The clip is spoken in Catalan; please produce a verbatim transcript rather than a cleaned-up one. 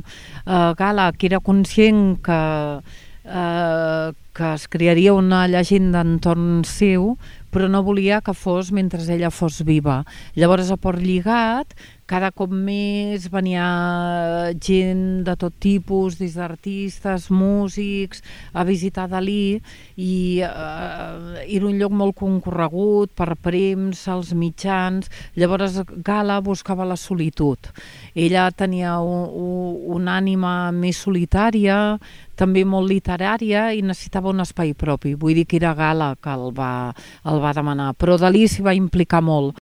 eh, Gala, que era conscient que, eh, que es crearia una llegenda entorn seu, però no volia que fos mentre ella fos viva. Llavors, a Port Lligat, cada cop més venia gent de tot tipus, des d'artistes, músics, a visitar Dalí, i eh, era un lloc molt concorregut per premsa, els mitjans. Llavors, Gala buscava la solitud. Ella tenia un, un, una ànima més solitària, també molt literària, i necessitava un espai propi. Vull dir que era Gala que el va, el va demanar, però Dalí s'hi va implicar molt.